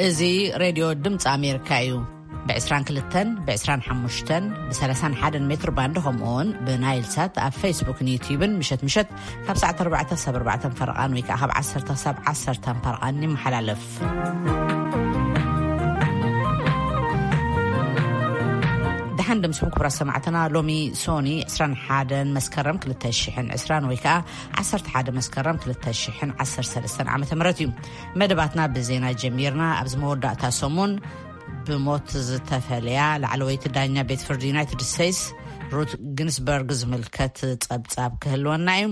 እዚ ሬድዮ ድምፂ ኣሜሪካ እዩ። ብ22፣ ብ25፣ ብ31 ሜትር ባንድ፣ ከምኡ እውን ብናይል ሳት ኣብ ፌስቡክን ዩትዩብን ምሸት ምሸት ካብ ሰዓት ኣርባዕተ ክሳብ ኣርባዕተ ፈረቓን ወይ ከዓ ካብ ዓሰርተ ክሳብ ዓሰርተ ፈረቓን ይመሓላለፍ። ደሓን ድምስኹም ክቡራት ሰማዕትና። ሎሚ ሶኒ ዕስራን ሓደን መስከረም ክልተ ሽሕን ዕስራን ወይ ከዓ ዓሰርተ ሓደ መስከረም ክልተ ሽሕን ዓሰርተ ሰለስተን ዓመተ ምህረት እዩ። መደባትና ብዜና ጀሚርና። ኣብዚ መወዳእታ ሰሙን ብሞት ዝተፈለያ ላዕለወይቲ ዳኛ ቤት ፍርዲ ዩናይትድ ስቴትስ ሩት ግንስበርግ ዝምልከት ጸብጻብ ክህልወና እዩ።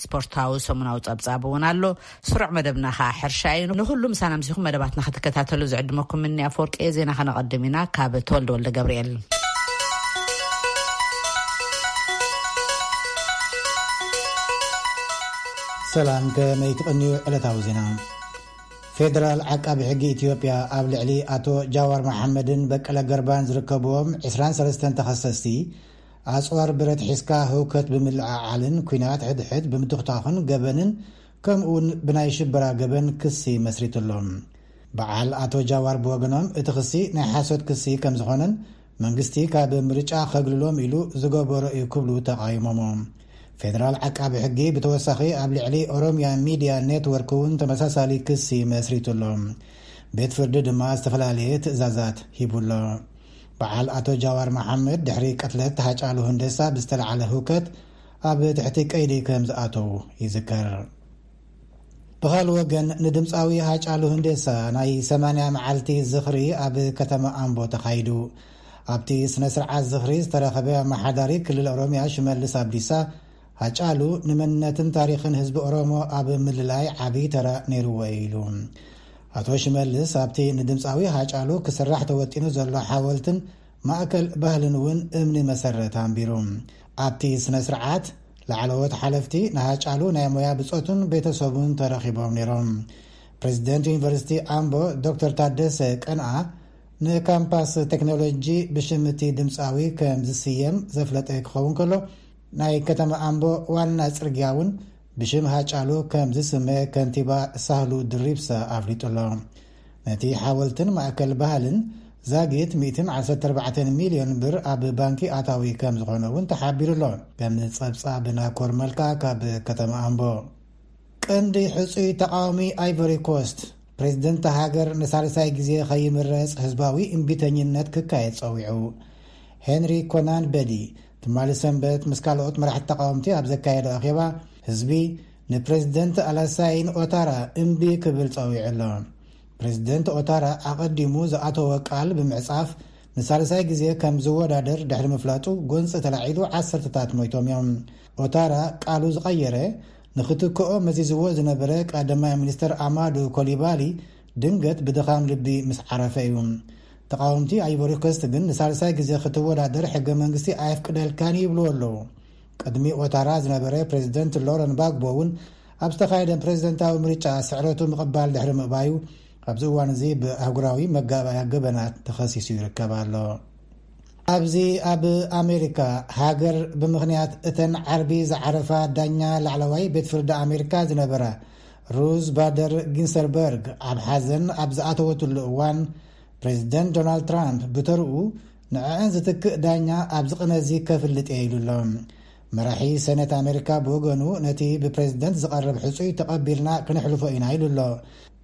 ስፖርታዊ ሰሙናዊ ጸብጻብ እውን ኣሎ። ስሩዕ መደብና ኸዓ ሕርሻ እዩ። ንኹሉ ምሳና ምሲኹም መደባትና ክትከታተሉ ዝዕድመኩም ምኒ ኣፈወርቂ እየ። ዜና ከነቐድም ኢና ካብ ተወልደ ወልደ ገብርኤል። ሰላም፣ ከመይ ትቕንዩ? ዕለታዊ ዜና። ፌደራል ዓቃቢ ሕጊ ኢትዮጵያ ኣብ ልዕሊ ኣቶ ጃዋር መሓመድን በቀለ ገርባን ዝርከብዎም ዕስራን ሰለስተን ተኸሰስቲ፣ ኣጽዋር ብረት ሒዝካ ህውከት ብምልዕዓልን ኲናት ሕድሕድ ብምትኹታኽን ገበንን ከምኡውን ብናይ ሽበራ ገበን ክሲ መስሪቱሎም። በዓል ኣቶ ጃዋር ብወገኖም እቲ ክሲ ናይ ሓሶት ክሲ ከም ዝኾነን መንግስቲ ካብ ምርጫ ከግልሎም ኢሉ ዝገበሮ እዩ ክብሉ ተቓይሞሞ። ፌደራል ዓቃቢ ሕጊ ብተወሳኺ ኣብ ልዕሊ ኦሮሚያ ሚድያ ኔትወርክ እውን ተመሳሳሊ ክሲ መስሪቱሎም። ቤት ፍርዲ ድማ ዝተፈላለየ ትእዛዛት ሂቡሎ። በዓል ኣቶ ጃዋር መሓመድ ድሕሪ ቅትለት ሃጫሉ ሁንዴሳ ብዝተለዓለ ህውከት ኣብ ትሕቲ ቀይዲ ከም ዝኣተዉ ይዝከር። ብኻልእ ወገን ንድምፃዊ ሃጫሉ ሁንዴሳ ናይ ሰማንያ መዓልቲ ዝኽሪ ኣብ ከተማ ኣምቦ ተኻይዱ። ኣብቲ ስነ ስርዓት ዝኽሪ ዝተረኸበ ኣመሓዳሪ ክልል ኦሮሚያ ሽመልስ ኣብዲሳ፣ ሃጫሉ ንመንነትን ታሪኽን ህዝቢ ኦሮሞ ኣብ ምልላይ ዓብዪ ተራ ነይርዎ ኢሉ። ኣቶ ሽመልስ ኣብቲ ንድምፃዊ ሃጫሉ ክስራሕ ተወጢኑ ዘሎ ሓወልትን ማእከል ባህልን እውን እምኒ መሰረት ኣንቢሩ። ኣብቲ ስነ ስርዓት ላዕለዎት ሓለፍቲ ንሃጫሉ ናይ ሞያ ብጾቱን ቤተሰቡን ተረኺቦም ነይሮም። ፕሬዚደንት ዩኒቨርሲቲ ኣምቦ ዶክተር ታደሰ ቀንኣ ንካምፓስ ቴክኖሎጂ ብሽም እቲ ድምፃዊ ከም ዝስየም ዘፍለጠ ክኸውን ከሎ፣ ናይ ከተማ ኣምቦ ዋና ጽርግያ እውን ብሽም ሃጫሉ ከም ዝስመ ከንቲባ ሳህሉ ድሪብሳ ኣፍሊጡ ኣሎ። ነቲ ሓወልትን ማእከል ባህልን ዛጊት ሚእትን ዓሰርተ ኣርባዕተን ሚልዮን ብር ኣብ ባንኪ ኣታዊ ከም ዝኾነ እውን ተሓቢሩ ኣሎ። ከም ጸብጻብ ናኮር መልካ ካብ ከተማ ኣምቦ። ቀንዲ ሕጹይ ተቃዋሚ ኣይቨሪ ኮስት፣ ፕሬዝደንት ሃገር ንሳልሳይ ግዜ ከይምረጽ ህዝባዊ እምቢተኝነት ክካየድ ጸዊዑ። ሄንሪ ኮናን በዲ ትማሊ ሰንበት ምስ ካልኦት መራሕቲ ተቃወምቲ ኣብ ዘካየዶ ኣኼባ፣ ህዝቢ ንፕሬዝደንት ኣላሳይን ኦታራ እምቢ ክብል ጸዊዑ ኣሎ። ፕሬዝደንት ኦታራ ኣቐዲሙ ዝኣተወ ቃል ብምዕጻፍ ንሳልሳይ ግዜ ከም ዝወዳደር ድሕሪ ምፍላጡ ጎንጺ ተላዒሉ ዓሰርተታት ሞይቶም እዮም። ኦታራ ቃሉ ዝቐየረ ንኽትክኦ መዚዝዎ ዝነበረ ቀዳማይ ሚኒስተር ኣማዱ ኮሊባሊ ድንገት ብድኻም ልቢ ምስ ዓረፈ እዩ። ተቃወምቲ ኣይቮሪ ኮስት ግን ንሳልሳይ ግዜ ክትወዳደር ሕገ መንግስቲ ኣየፍቅደልካን ይብልዎ ኣለዉ። ቅድሚ ኦታራ ዝነበረ ፕሬዚደንት ሎረን ባግቦ እውን ኣብ ዝተኻየደ ፕሬዚደንታዊ ምርጫ ስዕረቱ ምቕባል ድሕሪ ምእባዩ ኣብዚ እዋን እዚ ብኣህጉራዊ መጋባእያ ገበናት ተኸሲሱ ይርከብ ኣሎ። ኣብዚ ኣብ ኣሜሪካ ሃገር ብምኽንያት እተን ዓርቢ ዝዓረፋ ዳኛ ላዕለዋይ ቤት ፍርዲ ኣሜሪካ ዝነበራ ሩዝ ባደር ጊንሰርበርግ ኣብ ሓዘን ኣብ ዝኣተወትሉ እዋን ፕሬዚደንት ዶናልድ ትራምፕ ብተርኡ ንዕአን ዝትክእ ዳኛ ኣብዚ ቅነ እዚ ከፍልጥ እየ ኢሉ ኣሎ። መራሒ ሰኔት ኣሜሪካ ብወገኑ ነቲ ብፕሬዚደንት ዝቐርብ ሕጹይ ተቐቢልና ክነሕልፎ ኢና ኢሉ ኣሎ።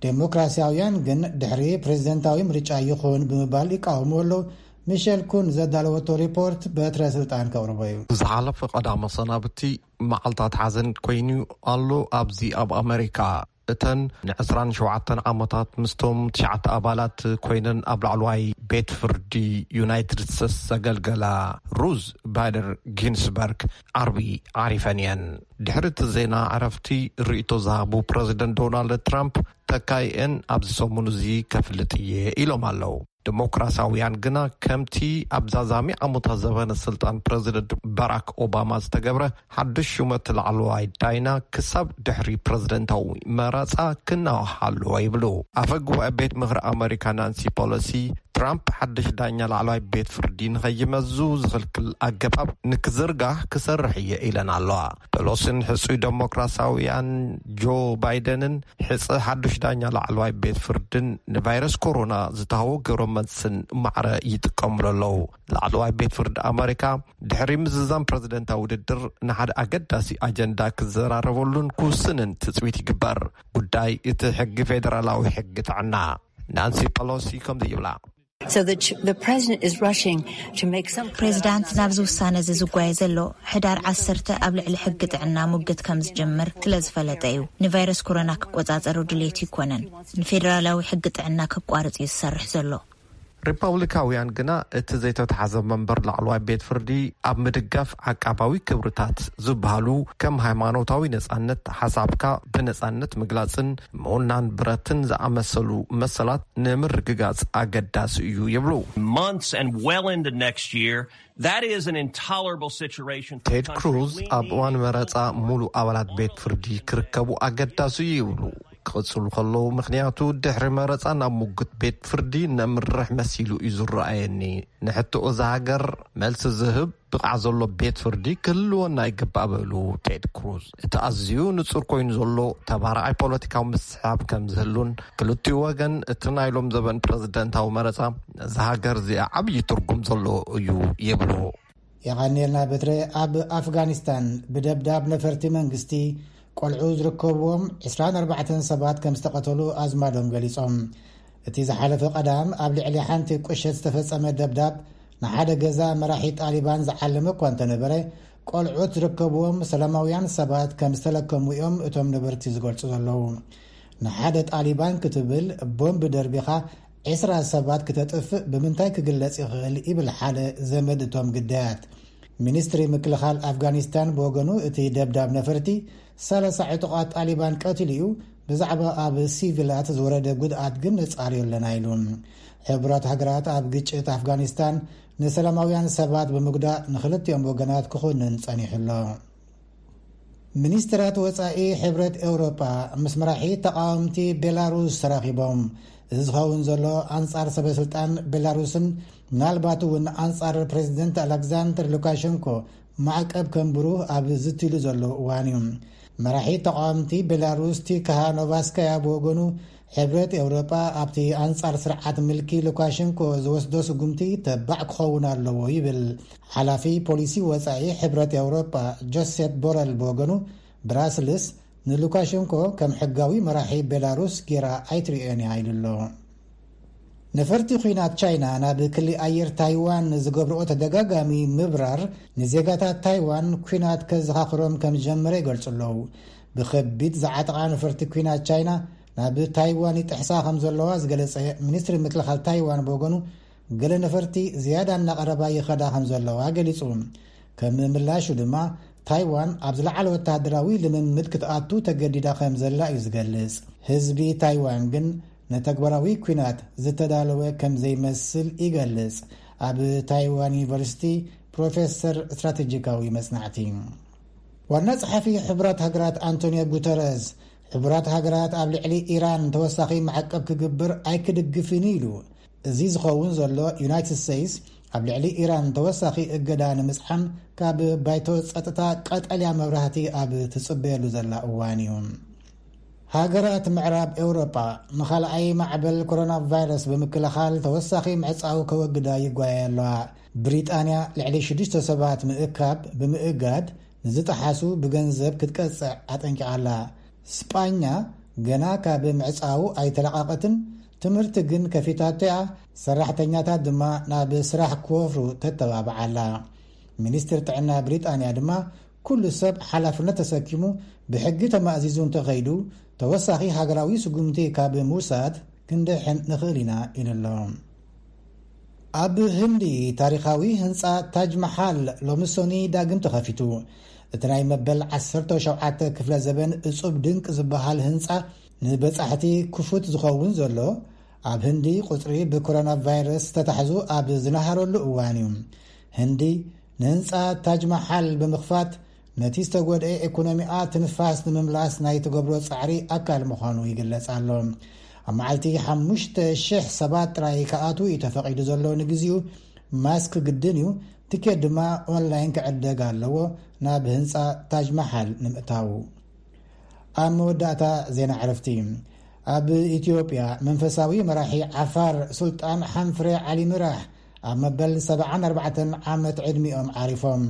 ዴሞክራሲያውያን ግን ድሕሪ ፕሬዚደንታዊ ምርጫ ይኹን ብምባል ይቃወሙ ኣለዉ። ሚሸል ኩን ዘዳለወቶ ሪፖርት በትረ ስልጣን ከቕርቦ እዩ። ዝሓለፈ ቀዳመ ሰናብቲ መዓልታት ሓዘን ኮይኑ ኣሎ። ኣብዚ ኣብ ኣሜሪካ እተን ን27 ዓመታት ምስቶም ትሽዓተ ኣባላት ኮይነን ኣብ ላዕለዋይ ቤት ፍርዲ ዩናይትድ ስቴትስ ዘገልገላ ሩዝ ባደር ጊንስበርግ ዓርቢ ዓሪፈን እየን። ድሕሪ እቲ ዜና ዕረፍቲ ርእይቶ ዝሃቡ ፕረዚደንት ዶናልድ ትራምፕ፣ ተካይአን ኣብዚ ሰሙን እዚ ከፍልጥ እየ ኢሎም ኣለዉ። ዲሞክራሲያውያን ግና ከምቲ ኣብ ዛዛሚ ዓመታት ዘበነ ስልጣን ፕረዚደንት ባራክ ኦባማ ዝተገብረ ሓድሽ ሹመት ላዕለዋይ ዳይና ክሳብ ድሕሪ ፕረዚደንታዊ መረጻ ክናዋሕ ኣለዎ ይብሉ። ኣፈ ጉባኤ ቤት ምኽሪ ኣመሪካ ናንሲ ፖሎሲ፣ ትራምፕ ሓድሽ ዳኛ ላዕለዋይ ቤት ፍርዲ ንኸይመዙ ዝኽልክል ኣገባብ ንክዝርጋሕ ክሰርሕ እየ ኢለን ኣለዋ። ፖሎሲን ሕጹይ ዴሞክራሲያውያን ጆ ባይደንን ሕጸ ሓዱሽ ዳኛ ላዕለዋይ ቤት ፍርድን ንቫይረስ ኮሮና ዝተሃወ ግብረ መልስን ማዕረ ይጥቀምሉ ኣለዉ። ላዕለዋይ ቤት ፍርዲ ኣመሪካ ድሕሪ ምዝዛም ፕረዚደንታዊ ውድድር ንሓደ ኣገዳሲ ኣጀንዳ ክዘራረበሉን ክውስንን ትጽቢት ይግበር። ጉዳይ እቲ ሕጊ ፌደራላዊ ሕጊ ጥዕና። ናንሲ ፐሎሲ ከምዚ ይብላ። So the, ch- the president is rushing to make some kind of ፕሬዚዳንት ናብዚ ውሳነ እዚ ዝጓየ ዘሎ ሕዳር ዓሰርተ ኣብ ልዕሊ ሕጊ ጥዕና ሙግት ከም ዝጀምር ስለ ዝፈለጠ እዩ። ንቫይረስ ኮሮና ክቆጻጸሩ ድሌት ይኮነን፣ ንፌደራላዊ ሕጊ ጥዕና ክቋርጽ እዩ ዝሰርሕ ዘሎ። ሪፐብሊካውያን ግና እቲ ዘይተተሓዘ መንበር ላዕለዋይ ቤት ፍርዲ ኣብ ምድጋፍ ዓቃባዊ ክብርታት ዝበሃሉ ከም ሃይማኖታዊ ነጻነት፣ ሓሳብካ ብነጻነት ምግላጽን ምውናን ብረትን ዝኣመሰሉ መሰላት ንምርግጋጽ ኣገዳሲ እዩ ይብሉ። Months and well into next year, that is an intolerable situation for a ቴድ country ክሩዝ we ኣብ need እዋን መረጻ ሙሉእ ኣባላት ቤት ፍርዲ ክርከቡ ኣገዳሲ እዩ ይብሉ። ክቕጽሉ ከለዉ፣ ምኽንያቱ ድሕሪ መረጻ ናብ ሙግት ቤት ፍርዲ ነምርሕ መሲሉ እዩ ዝረኣየኒ። ንሕቶ እዛ ሃገር መልሲ ዝህብ ብቕዓ ዘሎ ቤት ፍርዲ ክህልወና ይግባእ በሉ ቴድ ክሩዝ። እቲ ኣዝዩ ንጹር ኮይኑ ዘሎ ተባራዓይ ፖለቲካዊ ምስሕሓብ ከም ዝህሉን ክልቲኡ ወገን እቲ ናይ ሎም ዘበን ፕረዚደንታዊ መረጻ ነዛ ሃገር እዚኣ ዓብዪ ትርጉም ዘለዎ እዩ ይብሉ። የቐንየልና በትረ። ኣብ ኣፍጋኒስታን ብደብዳብ ነፈርቲ መንግስቲ ቆልዑ ዝርከብዎም ዕስራን ኣርባዕተን ሰባት ከም ዝተቐተሉ ኣዝማዶም ገሊጾም። እቲ ዝሓለፈ ቀዳም ኣብ ልዕሊ ሓንቲ ቁሸት ዝተፈጸመ ደብዳብ ንሓደ ገዛ መራሒ ጣሊባን ዝዓለመ እኳ እንተነበረ፣ ቆልዑት ዝርከብዎም ሰላማውያን ሰባት ከም ዝተለከሙ እዮም እቶም ነበርቲ ዝገልጹ ዘለዉ። ንሓደ ጣሊባን ክትብል ቦምብ ደርቢኻ ዕስራ ሰባት ክተጥፍእ ብምንታይ ክግለጽ ይኽእል? ይብል ሓደ ዘመድ እቶም ግዳያት። ሚኒስትሪ ምክልኻል ኣፍጋኒስታን ብወገኑ፣ እቲ ደብዳብ ነፈርቲ ሰላሳ ዕጡቓት ጣሊባን ቀቲሉ እዩ፣ ብዛዕባ ኣብ ሲቪላት ዝወረደ ጉድኣት ግን ነጻርዮ ኣለና ኢሉ። ሕቡራት ሃገራት ኣብ ግጭት ኣፍጋኒስታን ንሰላማውያን ሰባት ብምጉዳእ ንኽልቲኦም ወገናት ክኹንን ጸኒሑ ኣሎ። ሚኒስትራት ወጻኢ ሕብረት ኤውሮጳ ምስ መራሒ ተቓወምቲ ቤላሩስ ተራኺቦም። እዚ ዝኸውን ዘሎ ኣንጻር ሰበስልጣን ቤላሩስን ምናልባት እውን ኣንጻር ፕሬዚደንት ኣሌክዛንደር ሉካሸንኮ ማዕቀብ ከንብሩ ኣብ ዝትሉ ዘሎ እዋን እዩ። መራሒ ተቓወምቲ ቤላሩስ ቲካሃኖቫስካያ ብወገኑ፣ ሕብረት ኤውሮጳ ኣብቲ ኣንጻር ስርዓት ምልኪ ሉካሸንኮ ዝወስዶ ስጉምቲ ተባዕ ክኸውን ኣለዎ ይብል። ሓላፊ ፖሊሲ ወጻኢ ሕብረት ኤውሮጳ ጆሴፕ ቦረል ብወገኑ፣ ብራስልስ ንሉካሸንኮ ከም ሕጋዊ መራሒ ቤላሩስ ጌራ ኣይትርእዮን እያ ኢሉ ኣሎ። ነፈርቲ ኲናት ቻይና ናብ ክሊ ኣየር ታይዋን ዝገብርኦ ተደጋጋሚ ምብራር ንዜጋታት ታይዋን ኲናት ከዘኻኽሮም ከም ዝጀመረ ይገልጹ ኣለዉ። ብኸቢድ ዝዓጠቓ ነፈርቲ ኲናት ቻይና ናብ ታይዋን ይጥሕሳ ከም ዘለዋ ዝገለጸ ሚኒስትሪ ምክልኻል ታይዋን ብወገኑ፣ ገለ ነፈርቲ ዝያዳ እናቐረባ ይኸዳ ከም ዘለዋ ገሊጹ። ከም ምላሹ ድማ፣ ታይዋን ኣብ ዝለዓለ ወተሃደራዊ ልምምድ ክትኣቱ ተገዲዳ ከም ዘላ እዩ ዝገልጽ። ህዝቢ ታይዋን ግን ንተግባራዊ ኲናት ዝተዳለወ ከም ዘይመስል ይገልጽ። ኣብ ታይዋን ዩኒቨርሲቲ ፕሮፌሰር ስትራቴጂካዊ መጽናዕቲ። ዋና ጸሓፊ ሕቡራት ሃገራት ኣንቶኒዮ ጉተረዝ፣ ሕቡራት ሃገራት ኣብ ልዕሊ ኢራን ተወሳኺ ማዕቀብ ክግብር ኣይክድግፍን ኢሉ። እዚ ዝኸውን ዘሎ፣ ዩናይትድ ስቴትስ ኣብ ልዕሊ ኢራን ተወሳኺ እገዳ ንምጽዓን ካብ ባይቶ ጸጥታ ቀጠልያ መብራህቲ ኣብ ትጽበየሉ ዘላ እዋን እዩ። ሃገራት ምዕራብ ኤውሮጳ ንኻልኣይ ማዕበል ኮሮና ቫይረስ ብምክልኻል ተወሳኺ ምዕጻው ከወግዳ ይጓየ ኣለዋ። ብሪጣንያ ልዕሊ ሽዱሽተ ሰባት ምእካብ ብምእጋድ፣ ንዝጠሓሱ ብገንዘብ ክትቀጽዕ ኣጠንቂቓ ኣላ። ስጳኛ ገና ካብ ምዕጻው ኣይተለቓቐትን፣ ትምህርቲ ግን ከፊታቶ እያ። ሰራሕተኛታት ድማ ናብ ስራሕ ክወፍሩ ተተባብዓ ኣላ። ሚኒስትር ጥዕና ብሪጣንያ ድማ፣ ኩሉ ሰብ ሓላፍነት ተሰኪሙ ብሕጊ ተማእዚዙ እንተኸይዱ፣ ተወሳኺ ሃገራዊ ስጉምቲ ካብ ምውሳድ ክንድሕን ንኽእል ኢና ኢሉ ኣሎ። ኣብ ህንዲ፣ ታሪኻዊ ህንጻ ታጅ መሓል ሎሚ ሰኑይ ዳግም ተኸፊቱ። እቲ ናይ መበል ዓሰርተ ሸውዓተ ክፍለ ዘበን እጹብ ድንቅ ዝበሃል ህንጻ፣ ንበጻሕቲ ክፉት ዝኸውን ዘሎ፣ ኣብ ህንዲ ቁጽሪ ብኮሮና ቫይረስ ዝተታሕዙ ኣብ ዝነሃረሉ እዋን እዩ። ህንዲ ንህንጻ ታጅ ማሓል ብምኽፋት ነቲ ዝተጎድአ ኢኮኖሚኣ ትንፋስ ንምምላስ ናይ ትገብሮ ጻዕሪ ኣካል ምዃኑ ይግለጽ ኣሎ። ኣብ መዓልቲ ሓሙሽተ ሽሕ ሰባት ጥራይ ክኣትዉ እዩ ተፈቒዱ ዘሎ። ንግዚኡ ማስክ ግድን እዩ። ትኬት ድማ ኦንላይን ክዕደግ ኣለዎ ናብ ህንጻ ታጅ ማሓል ንምእታው። ኣብ መወዳእታ ዜና ዕረፍቲ። ኣብ ኢትዮጵያ መንፈሳዊ መራሒ ዓፋር ሱልጣን ሓንፍሬ ዓሊ ምራሕ ኣብ መበል ሰብዓን ኣርባዕተን ዓመት ዕድሚኦም ዓሪፎም።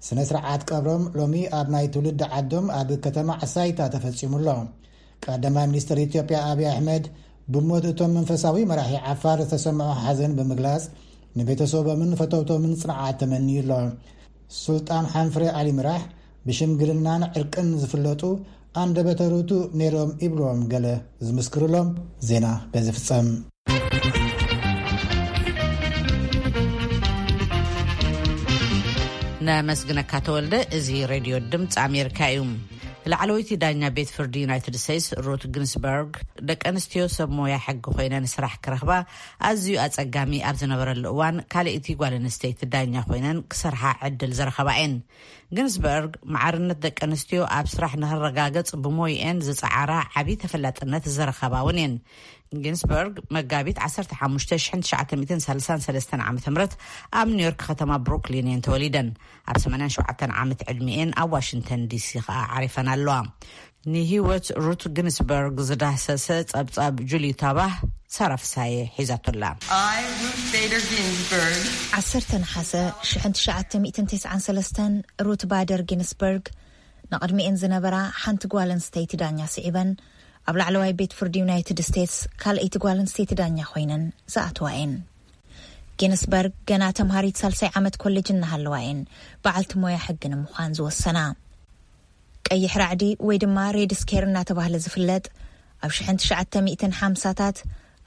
ስነ ስርዓት ቀብሮም ሎሚ ኣብ ናይ ትውልዲ ዓዶም ኣብ ከተማ ዓሳይታ ተፈጺሙ ኣሎ። ቀዳማይ ሚኒስትር ኢትዮጵያ ኣብይ ኣሕመድ ብሞት እቶም መንፈሳዊ መራሒ ዓፋር ዝተሰምዖ ሓዘን ብምግላጽ ንቤተሰቦምን ፈተውቶምን ጽንዓት ተመንዩ ኣሎ። ሱልጣን ሓንፍሬ ኣሊ ምራሕ ብሽምግልናን ዕርቅን ዝፍለጡ ኣንደበተ ርቱዕ ነይሮም ይብልዎም ገለ ዝምስክሩሎም። ዜና በዚ ፍጸም። ነመስግነካ ተወልደ። እዚ ሬድዮ ድምፂ ኣሜሪካ እዩ። ላዕለወይቲ ዳኛ ቤት ፍርዲ ዩናይትድ ስቴትስ ሩት ግንስበርግ፣ ደቂ ኣንስትዮ ሰብ ሞያ ሕጊ ኮይነን ስራሕ ክረኽባ ኣዝዩ ኣጸጋሚ ኣብ ዝነበረሉ እዋን፣ ካልኣይቲ ጓል ኣንስተይቲ ዳኛ ኮይነን ክሰርሓ ዕድል ዝረኸባ እየን። ግንስበርግ፣ ማዕርነት ደቂ ኣንስትዮ ኣብ ስራሕ ንክረጋገጽ ብሞይአን ዝጸዓራ ዓቢ ተፈላጥነት ዝረኸባ እውን እየን። ጊንስበርግ መጋቢት ዓሰርተ ሓሙሽተ ሽሕን ትሽዓተ ሚእትን ሰላሳን ሰለስተን ዓመተ ምህረት ኣብ ኒውዮርክ ከተማ ብሩክሊን እየን ተወሊደን። ኣብ ሰማንያን ሸውዓተን ዓመት ዕድሚኤን ኣብ ዋሽንግተን ዲሲ ከኣ ዓሪፈን ኣለዋ። ንህይወት ሩት ግንስበርግ ዝዳህሰሰ ጸብጻብ ጁሊ ታባህ፣ ሳራ ፍሳየ ሒዛቶላ። I, Ruth Bader Ginsburg, ዓሰርተ ነሓሰ ሽሕን ትሽዓተ ሚእትን ተስዓን ሰለስተን ሩት ባደር ጊንስበርግ ንቕድሚኤን ዝነበራ ሓንቲ ጓል ኣንስተይቲ ዳኛ ስዒበን ኣብ ላዕለዋይ ቤት ፍርዲ ዩናይትድ ስቴትስ ካልኣይቲ ጓል ኣንስተይቲ ዳኛ ኮይነን ዝኣተዋ እየን። ጊንስበርግ ገና ተምሃሪት ሳልሳይ ዓመት ኮሌጅ እናሃለዋ እየን በዓልቲ ሞያ ሕጊ ንምዃን ዝወሰና። ቀይሕ ራዕዲ ወይ ድማ ሬድ ስኬር እናተባህለ ዝፍለጥ ኣብ ሽሕን ትሽዓተ ሚእትን ሓምሳታት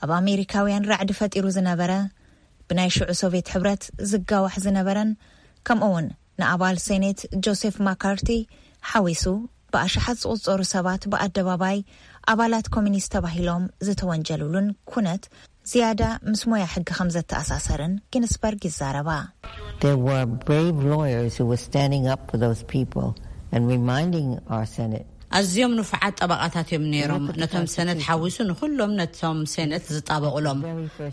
ኣብ ኣሜሪካውያን ራዕዲ ፈጢሩ ዝነበረ ብናይ ሽዑ ሶቪየት ሕብረት ዝጋዋሕ ዝነበረን ከምኡ እውን ንኣባል ሴኔት ጆሴፍ ማካርቲ ሓዊሱ ብኣሽሓት ዝቑጸሩ ሰባት ብኣደባባይ ኣባላት ኮሚኒስት ተባሂሎም ዝተወንጀሉሉን ኩነት ዝያዳ ምስ ሞያ ሕጊ ከም ዘተኣሳሰርን ጊንስበርግ ይዛረባ። There were brave lawyers who were standing up for those people and reminding our Senate. ኣዝዮም ንፉዓት ጠበቓታት እዮም ነይሮም። ነቶም ሰነት ሓዊሱ ንኹሎም ነቶም ሴነት ዝጣበቑሎም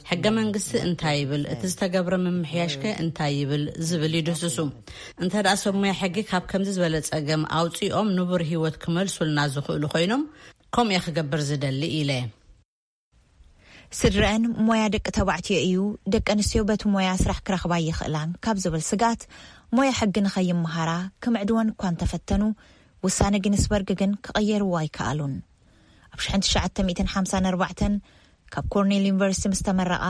ሕገ መንግስቲ እንታይ ይብል፣ እቲ ዝተገብረ ምምሕያሽከ እንታይ ይብል ዝብል ይድህስሱ። እንተ ደኣ ሰብ ሙያ ሕጊ ካብ ከምዚ ዝበለ ጸገም ኣውጺኦም ንቡር ህይወት ክመልሱልና ዝኽእሉ ኮይኖም፣ ከምኡ እየ ክገብር ዝደሊ ኢለ። ስድረአን ሞያ ደቂ ተባዕትዮ እዩ፣ ደቂ ኣንስትዮ በቲ ሞያ ስራሕ ክረኽባ ይኽእላን ካብ ዝብል ስግኣት ሞያ ሕጊ ንኸይመሃራ ክምዕድወን እኳ እንተፈተኑ፣ ውሳነ ጊንስበርግ ግን ክቕየርዎ ኣይከኣሉን። ኣብ ሽሕን ትሽዓተ ሚእትን ሓምሳን ኣርባዕተን ካብ ኮርኔል ዩኒቨርሲቲ ምስ ተመረቓ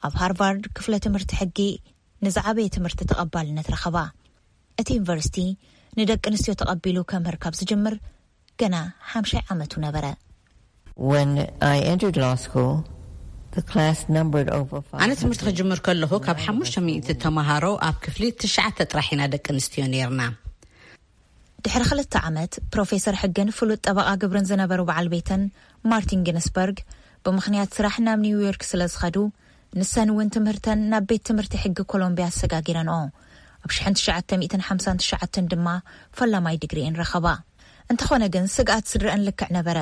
ኣብ ሃርቫርድ ክፍለ ትምህርቲ ሕጊ ንዝዓበየ ትምህርቲ ተቐባልነት ረኸባ። እቲ ዩኒቨርሲቲ ንደቂ ኣንስትዮ ተቐቢሉ ከምህር ካብ ዝጅምር ገና ሓምሻይ ዓመቱ ነበረ። When I entered law school, the class numbered over ኣነ ትምህርቲ ክጅምር ከለኹ ካብ ሓሙሽተ ሚእቲ ተመሃሮ ኣብ ክፍሊ ትሽዓተ ጥራሕ ኢና ደቂ ኣንስትዮ ነይርና። ድሕሪ ክልተ ዓመት ፕሮፌሰር ሕግን ፍሉጥ ጠበቓ ግብርን ዝነበሩ በዓል ቤተን ማርቲን ጊንስበርግ ብምኽንያት ስራሕ ናብ ኒውዮርክ ስለ ዝኸዱ ንሰን እውን ትምህርተን ናብ ቤት ትምህርቲ ሕጊ ኮሎምቢያ ኣሰጋጊረንኦ። ኣብ ሽሕን ትሽዓተ ሚእትን ሓምሳን ትሽዓተን ድማ ፈላማይ ድግሪኤን ረኸባ። እንተኾነ ግን ስግኣት ስድረአን ልክዕ ነበረ።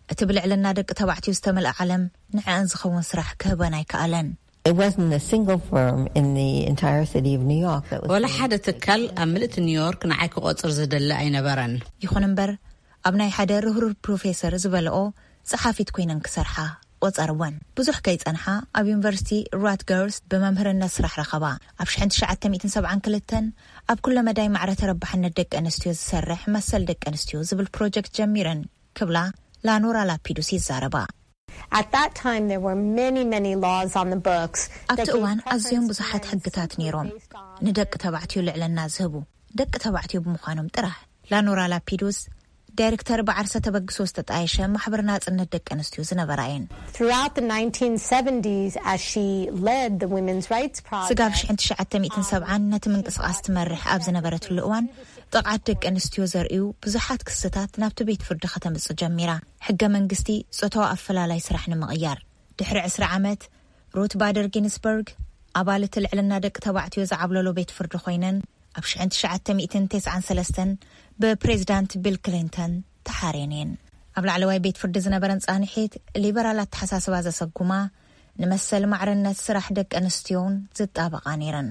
እቲ ብልዕልና ደቂ ተባዕትዮ ዝተመልአ ዓለም ንዕአን ዝኸውን ስራሕ ክህበን ኣይከኣለን። It wasn't a single firm in the entire city of New York that was ወላ ሓደ ትካል ኣብ ምልእቲ ኒውዮርክ ንዓይ ክቆጽር ዝደሊ ኣይነበረን። ይኹን እምበር ኣብ ናይ ሓደ ርህሩህ ፕሮፌሰር ዝበልኦ ጸሓፊት ኮይነን ክሰርሓ ቆጸርወን። ብዙሕ ከይጸንሓ ኣብ ዩኒቨርሲቲ ራትገርስ ብመምህርነት ስራሕ ረኸባ። ኣብ ሽሕን ትሽዓተ ሚእትን ሰብዓን ክልተን ኣብ ኩለ መዳይ ማዕረ ተረባሕነት ደቂ ኣንስትዮ ዝሰርሕ መሰል ደቂ ኣንስትዮ ዝብል ፕሮጀክት ጀሚረን ክብላ ላኖራ ላፒዱስ ይዛረባ። At that time, there were many, many laws on the books. ኣብቲ እዋን ኣዝዮም ብዙሓት ሕግታት ነይሮም ንደቂ ተባዕትዮ ልዕልና ዝህቡ ደቂ ተባዕትዮ ብምዃኖም ጥራሕ። ላኖራ ላፒዱስ ዳይሬክተር ብዓርሰ ተበግሶ ዝተጣየሸ ማሕበር ናጽነት ደቂ ኣንስትዮ ዝነበራ እየን። Throughout the nineteen seventies, as she led the women's rights ስጋብ project, ሽሕን ትሽዓተ ሚእትን ሰብዓን ነቲ ምንቅስቓስ ትመርሕ ኣብ ዝነበረትሉ እዋን ጥቕዓት ደቂ ኣንስትዮ ዘርእዩ ብዙሓት ክስታት ናብቲ ቤት ፍርዲ ከተምጽእ ጀሚራ። ሕገ መንግስቲ ጾታዊ ኣፈላላይ ስራሕ ንምቕያር ድሕሪ ዕስራ ዓመት፣ ሩት ባደር ጊንስበርግ ኣባል እቲ ልዕልና ደቂ ተባዕትዮ ዝዓብለሎ ቤት ፍርዲ ኮይነን፣ ኣብ ሽሕን ትሽዓተ ሚእትን ተስዓን ሰለስተን ብፕሬዚዳንት ቢል ክሊንተን ተሓርየን እየን። ኣብ ላዕለዋይ ቤት ፍርዲ ዝነበረን ጻንሒት፣ ሊበራል ኣተሓሳስባ ዘሰጉማ፣ ንመሰል ማዕርነት ስራሕ ደቂ ኣንስትዮን ዝጣበቓ ነይረን።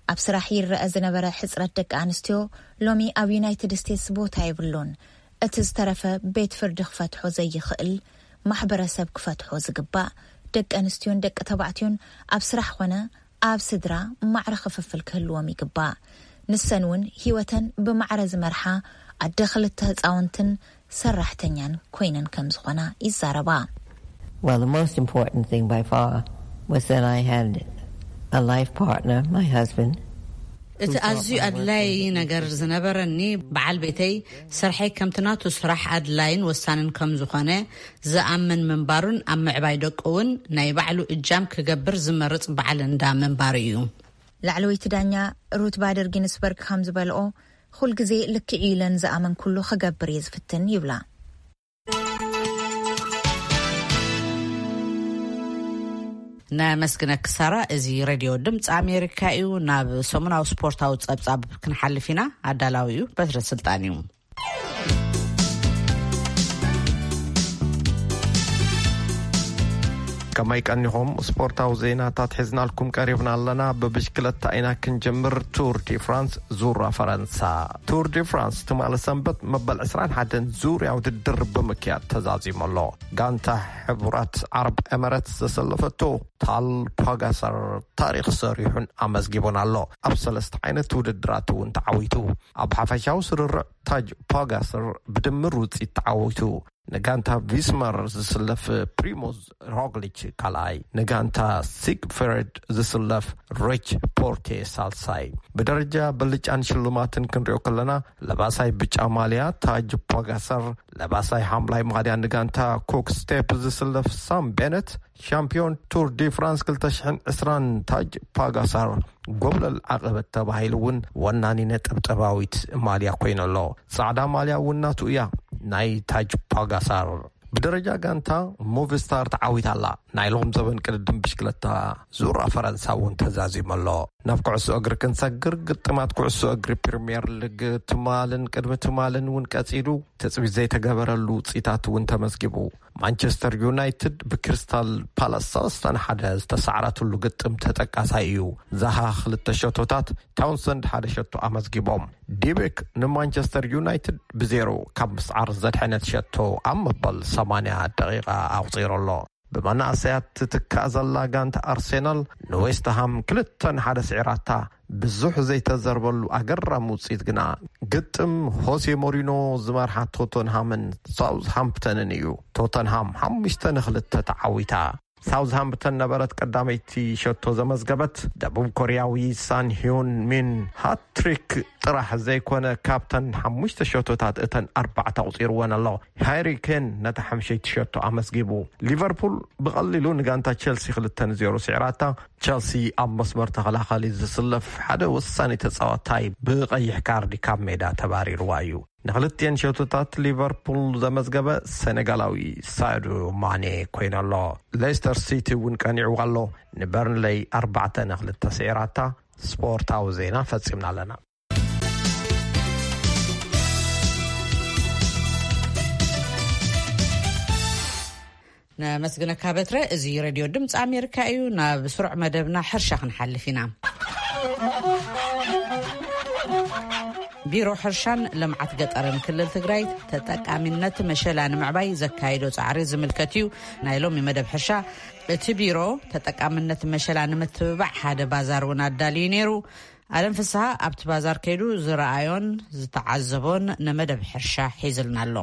ኣብ ስራሕ ይረአ ዝነበረ ሕጽረት ደቂ ኣንስትዮ ሎሚ ኣብ ዩናይትድ ስቴትስ ቦታ የብሉን። እቲ ዝተረፈ ቤት ፍርዲ ክፈትሖ ዘይኽእል፣ ማሕበረሰብ ክፈትሖ ዝግባእ፣ ደቂ ኣንስትዮን ደቂ ተባዕትዮን ኣብ ስራሕ ኾነ ኣብ ስድራ ማዕረ ክፍፍል ክህልዎም ይግባእ። ንሰን እውን ህይወተን ብማዕረ ዝመርሓ ኣደ ክልተ ህፃውንትን ሰራሕተኛን ኮይነን ከም ዝኾና ይዛረባ። Well, the most important thing by far was that I had a life partner, my husband. እቲ ኣዝዩ ኣድላዪ ነገር ዝነበረኒ፣ በዓል ቤተይ ስርሐይ ከምቲ ናቱ ስራሕ ኣድላይን ወሳንን ከም ዝኾነ ዝኣምን ምንባሩን ኣብ ምዕባይ ደቁ እውን ናይ ባዕሉ እጃም ክገብር ዝመርጽ በዓል እንዳ ምንባሩ እዩ። ላዕለወይቲ ዳኛ ሩት ባደር ጊንስበርግ ከም ዝበልኦ፣ ኩል ግዜ ልክዕ እዩ ኢለን ዝኣመንኩሉ ክገብር እየ ዝፍትን ይብላ። ነመስግነኪ ሳራ። እዚ ሬድዮ ድምፂ ኣሜሪካ እዩ። ናብ ሰሙናዊ ስፖርታዊ ፀብፃብ ክንሓልፍ ኢና። ኣዳላዊኡ በትረ ስልጣን እዩ። ከመይ ቀኒኹም? ስፖርታዊ ዜናታት ሒዝናልኩም ቀሪብና ኣለና። ብብሽክለታ ኢና ክንጀምር። ቱር ዲ ፍራንስ ዙራ ፈረንሳ። ቱር ዲ ፍራንስ ትማሊ ሰንበት መበል ዕስራን ሓደን ዙርያ ውድድር ብምክያድ ተዛዚሙ ኣሎ። ጋንታ ሕቡራት ዓረብ ኤመረትስ ዘሰለፈቶ ታል ፓጋሰር ታሪኽ ሰሪሑን ኣመዝጊቡን ኣሎ። ኣብ ሰለስተ ዓይነት ውድድራት እውን ተዓዊቱ። ኣብ ሓፈሻዊ ስርርዕ ታጅ ፓጋሰር ብድምር ውፅኢት ተዓዊቱ። ንጋንታ ቪስመር ዝስለፍ ፕሪሞዝ ሮግሊች ካልኣይ፣ ንጋንታ ሲግፍሬድ ዝስለፍ ሪች ፖርቴ ሳልሳይ። ብደረጃ ብልጫን ሽልማትን ክንሪኦ ከለና፣ ለባሳይ ብጫ ማልያ ታጅ ፖጋሰር፣ ለባሳይ ሓምላይ ማልያ ንጋንታ ኮክ ስቴፕ ዝስለፍ ሳም ቤነት፣ ሻምፒዮን ቱር ዲ ፍራንስ ክልተ ሽሕን ዕስራን ታጅ ፓጋሳር፣ ጎብለል ዓቐበት ተባሂሉ እውን ወናኒ ነጠብጠባዊት ማልያ ኮይኑ ኣሎ። ጻዕዳ ማልያ እውን ናቱ እያ፣ ናይ ታጅ ፓጋሳር። ብደረጃ ጋንታ፣ ሙቪስታር ተዓዊታ ኣላ። ናይ ሎም ዘበን ቅድድም ብሽክለታ ዙራ ፈረንሳ እውን ተዛዚሙ ኣሎ። ናብ ኩዕሶ እግሪ ክንሰግር፣ ግጥማት ኩዕሶ እግሪ ፕሪምየር ሊግ ትማልን ቅድሚ ትማልን እውን ቀጺሉ፣ ትጽቢት ዘይተገበረሉ ውጽኢታት እውን ተመዝጊቡ። ማንቸስተር ዩናይትድ ብክሪስታል ፓላስ ሰለስተ ንሓደ ዝተሳዕረትሉ ግጥም ተጠቃሳይ እዩ። ዛሃ ክልተ ሸቶታት፣ ታውንሰንድ ሓደ ሸቶ ኣመዝጊቦም። ዲቤክ ንማንቸስተር ዩናይትድ ብዜሮ ካብ ምስዓር ዘድሐነት ሸቶ ኣብ መበል ሰማንያ ደቂቓ ኣቑጺሩ ኣሎ። ብመናእሰያት ትትካእ ዘላ ጋንታ ኣርሴናል ንዌስትሃም ክልተ ንሓደ ስዒራታ። ብዙሕ ዘይተዘርበሉ ኣገራሚ ውፅኢት ግና፣ ግጥም ሆሴ ሞሪኖ ዝመርሓ ቶተንሃምን ሳውዝሃምፕተንን እዩ። ቶተንሃም ሓሙሽተ ንክልተ ተዓዊታ። ሳውዝሃምፕተን ነበረት ቀዳመይቲ ሸቶ ዘመዝገበት። ደቡብ ኮርያዊ ሳን ሂዮን ሚን ሃትሪክ ጥራሕ ዘይኮነ፣ ካብተን ሓሙሽተ ሸቶታት እተን ኣርባዕተ ኣቑፂርወን ኣሎ። ሃሪ ኬን ነታ ሓምሸይቲ ሸቶ ኣመዝጊቡ። ሊቨርፑል ብቐሊሉ ንጋንታ ቸልሲ ክልተ ንዜሮ ስዒራታ። ቸልሲ ኣብ መስመር ተኸላኻሊ ዝስለፍ ሓደ ወሳኒ ተጻዋታይ ብቐይሕ ካርዲ ካብ ሜዳ ተባሪርዋ እዩ። ንክልቲኤን ሸቶታት ሊቨርፑል ዘመዝገበ ሰነጋላዊ ሳዱ ማኔ ኮይኑ ኣሎ። ሌስተር ሲቲ እውን ቀኒዕዋ ኣሎ። ንበርንለይ ኣርባዕተ ንክልተ ስዒራታ። ስፖርታዊ ዜና ፈጺምና ኣለና። ነመስግነካ በትረ። እዚ ሬድዮ ድምፂ ኣሜሪካ እዩ። ናብ ስሩዕ መደብና ሕርሻ ክንሓልፍ ኢና። ቢሮ ሕርሻን ልምዓት ገጠርን ክልል ትግራይ ተጠቃሚነት መሸላ ንምዕባይ ዘካየዶ ፃዕሪ ዝምልከት እዩ ናይ ሎሚ መደብ ሕርሻ። እቲ ቢሮ ተጠቃምነት መሸላ ንምትብባዕ ሓደ ባዛር እውን ኣዳልዩ ነይሩ። ኣለም ፍስሃ ኣብቲ ባዛር ከይዱ ዝረኣዮን ዝተዓዘቦን ንመደብ ሕርሻ ሒዝልና ኣሎ።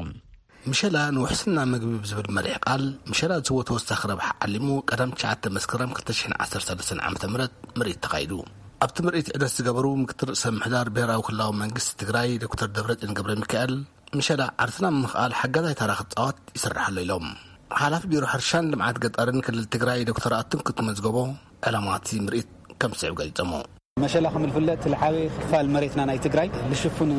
ምሸላ ንውሕስና ምግቢ ብዝብል መሪሕ ቃል፣ ምሸላ ዝህቦ ተወሳኺ ረብሓ ዓሊሙ ቀዳም ትሽዓተ መስከረም ክልተ ሽሕን ዓሰርተ ሰለስተን ዓመተ ምህረት ምርኢት ተኻይዱ። ኣብቲ ምርኢት ዑደት ዝገበሩ ምክትል ርእሰ ምምሕዳር ብሄራዊ ክልላዊ መንግስቲ ትግራይ ዶክተር ደብረጽዮን ገብረ ሚካኤል፣ ምሸላ ዓርስና ንምኽኣል ሓጋዛይ ተራ ክጻወት ይስራሕ ኣሎ ኢሎም። ሓላፊ ቢሮ ሕርሻን ልምዓት ገጠርን ክልል ትግራይ ዶክተር ኣትንኩት መዝገቦ ዕላማ እቲ ምርኢት ከም ዝስዕብ ገሊጾሞ። መሸላ ከም ዝፍለጥ እቲ ዝዓበየ ክፋል መሬትና ናይ ትግራይ ዝሽፍን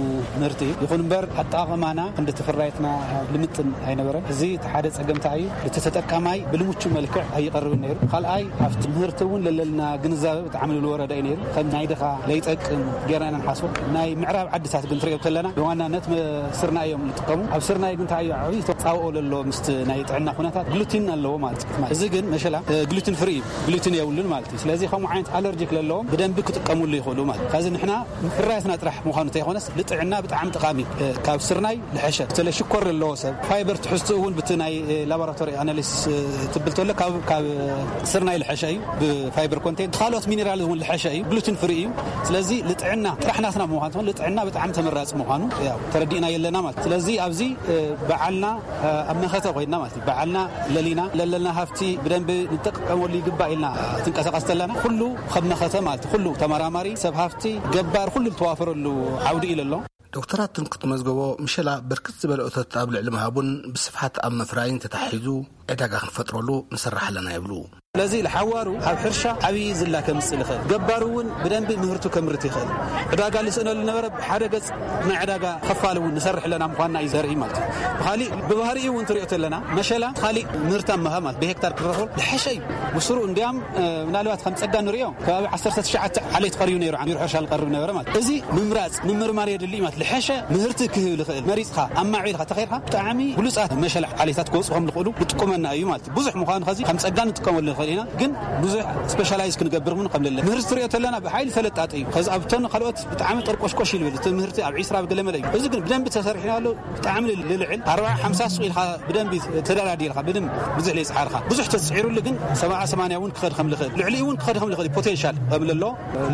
ምህርቲ እዩ። ይኹን እምበር ኣጠቓቕማና ክንዲ እቲ ፍርያትና ልምጥን ኣይነበረን። እዚ እቲ ሓደ ጸገም እንታይ እዩ? እቲ ተጠቃማይ ብልምቹ መልክዕ ኣይቐርብን ነይሩ። ካልኣይ ኣብቲ ምህርቲ እውን ለለና ግንዛበ ብጣዕሚ ዝወረደ እዩ ነይሩ። ከም ናይ ድኻ ለይጠቅም ጌርና ኢና ንሓስቦ። ናይ ምዕራብ ዓድታት ግን ትሪኦ ተለና ብዋናነት መ- ስርናይ እዮም ዝጥቀሙ። ኣብ ስርናይ ግን እንታይ እዩ ዓብዪ ተፃብኦ ለሎ ምስቲ ናይ ጥዕና ኩነታት ግሉቲን ኣለዎ ማለት እዩ። እዚ ግን መሸላ ግሉቲን ፍሪ እዩ፣ ግሉቲን የብሉን ማለት እዩ። ስለዚ ከምኡ ዓይነት ኣለርጂክ ለለዎም ብደንቢ ክጥቀሙሉ ይኽእሉ ማለት እዩ። ከዚ ንሕና ፍርያትና ጥራሕ ምዃኑ ተይኮነስ ልጥዕና ብጣዕሚ ጠቓሚ እዩ። ካብ ስርናይ ልሐሸ በተለይ ሽኮር ለለዎ ሰብ ፋይበር ትሕዝቱ እውን ብቲ ናይ ላቦራቶሪ ኣናሊሲስ ትብል ተሎ ካብ ካብ ስርናይ ልሐሸ እዩ። ብፋይበር ኮንቴንት ካልኦት ሚኔራል እውን ልሐሸ እዩ። ግሉቲን ፍሪ እዩ። ስለዚ ልጥዕና ጥራሕ ናትና ምዃኑ ትኾን ልጥዕና ብጣዕሚ ተመራፂ ምዃኑ ያው ተረዲእና የለና ማለት። ስለዚ ኣብዚ በዓልና ኣብ መኸተ ኮይና ማለት እዩ። በዓልና ለሊና ለለና ሃፍቲ ብደንቢ ንጠቀመሉ ይግባእ ኢልና ትንቀሳቀስ ተለና ኩሉ ከም መኸተ ማለት እዩ። ኩሉ ተመራማሪ ሰብ ሃፍቲ ገባር ኩሉ ዝተዋፈረሉ ዓውዲ እዩ ለሎ። ዶክተራት ትንኩት መዝገቦ ምሸላ ብርክት ዝበለ እቶት ኣብ ልዕሊ ምሃቡን ብስፍሓት ኣብ ምፍራይን ተታሒዙ ዕዳጋ ክንፈጥረሉ ንሰርሕ ኣለና ይብሉ። ስለዚ ለሓዋሩ ኣብ ሕርሻ ዓብዪ ዝላ ከምፅእ ልኽእል ገባሩ እውን ብደንቢ ምህርቱ ከምርት ይኽእል ዕዳጋ ልስእነሉ ነበረ። ብሓደ ገፅ ናይ ዕዳጋ ከፋል እውን ንሰርሕ ኣለና ምኳንና እዩ ዘርኢ ማለት እዩ። ብካሊእ ብባህሪኡ እውን ትሪኦ ተለና መሸላ ካሊእ ምህርታ ምሃብ ማለት ብሄክታር ክረኽበሉ ዝሐሸ እዩ። ብስሩ እንዲያም ምናልባት ከም ፀጋ ንሪኦ ከባቢ ዓሰርተ ትሽዓተ ዓሌት ቀሪቡ ነይሩ። ዓሚሩ ሕርሻ ዝቀርብ ነበረ ማለት እዚ ምምራፅ ምምርማር የድሊ ማለት ዝሐሸ ምህርቲ ክህብ ዝኽእል መሪፅካ ኣማዕቢልካ ተኸይድካ ብጣዕሚ ብሉፃት መሸላ ዓሌታት ክወፁ ከም ዝኽእሉ ዝጥቁመና እዩ ማለት ብዙሕ ምዃኑ ከዚ ከም ፀጋ ንጥቀመሉ ንኽእል ኢና። ግን ብዙሕ ስፔሻላይዝ ክንገብር እውን ከም ለለ ምህርቲ ትሪኦ ተለና ብሓይሊ ፈለጣጢ እዩ። ከዚ ኣብተን ካልኦት ብጣዕሚ ጠርቆሽቆሽ ይልብል እቲ ምህርቲ ኣብ ዒስራ ብገለመለ እዩ። እዚ ግን ብደንቢ ተሰሪሕናሉ ብጣዕሚ ልልዕል ኣርባዓ ሓምሳ ሱቕ ኢልካ ብደንቢ ተደራዲርካ ብደንብ ብዙሕ ለይፅዓርካ ብዙሕ ተፅዒሩሉ ግን ሰብዓ ሰማንያ እውን ክኸድ ከም ልኽእል ልዕሊ እውን ክኸድ ከም ልኽእል ፖቴንሻል ከም ለሎ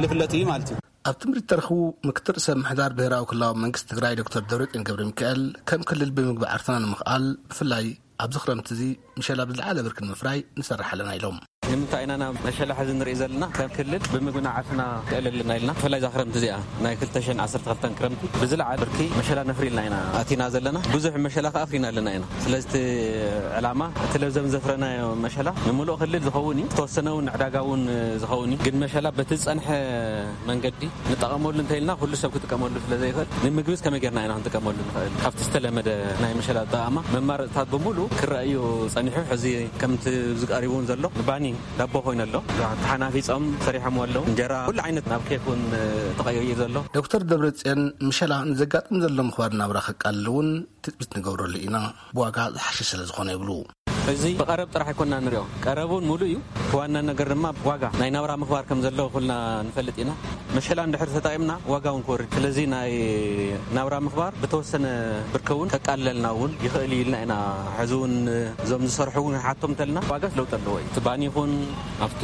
ልፍለጥ እዩ ማለት እዩ። ኣብ ትምህርቲ ተረኽቡ ምክትል ርእሰ ምሕዳር ብሄራዊ ክልላዊ መንግስቲ ትግራይ ዶክተር ደብረጽዮን ገብረ ሚካኤል ከም ክልል ብምግቢ ዓርስና ንምኽኣል ብፍላይ ኣብዚ ክረምቲ እዚ ምሸላ ብዝለዓለ ብርኪ ንምፍራይ ንሰርሕ ኣለና ኢሎም። ንምንታይ ኢና ናብ መሸላ ሕዚ ንርኢ ዘለና ከም ክልል ብምግብና ዓርስና ክእል ኣለና ኢልና ብፍላይ እዛ ክረምቲ እዚኣ ናይ ክልተ ሽሕን ዓሰርተ ክልተን ክረምቲ ብዝለዓለ ብርኪ መሸላ ነፍሪ ኢልና ኢና ኣቲና ዘለና ብዙሕ መሸላ ከኣ ኣፍሪና ኣለና ኢና። ስለዚ እቲ ዕላማ እቲ ለብዘም ዘፍረናዮ መሸላ ንምሉእ ክልል ዝኸውን እዩ። ዝተወሰነ እውን ንዕዳጋ እውን ዝኸውን እዩ። ግን መሸላ በቲ ዝጸንሐ መንገዲ ንጠቐመሉ እንተኢልና ኩሉ ሰብ ክጥቀመሉ ስለ ዘይኽእል ንምግብስ ከመይ ጌርና ኢና ክንጥቀመሉ ንኽእል? ካብቲ ዝተለመደ ናይ መሸላ ኣጠቓቕማ መማረፅታት ብምሉእ ክረኣዩ ጸኒሑ። ሕዚ ከምቲ ዝቀሪቡ እውን ዘሎ ንባኒ ዳቦ ኮይኑ ኣሎ። ተሓናፊጾም ሰሪሖም ኣለዉ። እንጀራ ኩሉ ዓይነት ናብ ኬክ እውን ተቐይሩ እዩ ዘሎ። ዶክተር ደብረጽዮን ምሸላ ንዘጋጥም ዘሎ ምኽባር ናብራ ከቃልል እውን ትጽቢት ንገብረሉ ኢና፣ ብዋጋ ዝሓሸ ስለ ዝኾነ ይብሉ። እዚ ብቐረብ ጥራሕ ኣይኮንና ንሪኦ። ቀረብ እውን ሙሉእ እዩ። እቲ ዋና ነገር ድማ ዋጋ ናይ ናብራ ምኽባር ከም ዘለዎ ኩልና ንፈልጥ ኢና። መሸላ እንድሕር ተጠቒምና ዋጋ እውን ክወርድ። ስለዚ ናይ ናብራ ምኽባር ብተወሰነ ብርኪ እውን ከቃልለልና እውን ይኽእል እዩ ኢልና ኢና። ሕዚ እውን እዞም ዝሰርሑ እውን ሓቶም እንተልና ዋጋ ለውጢ ኣለዎ እዩ። እቲ ባኒ ይኹን ኣብቲ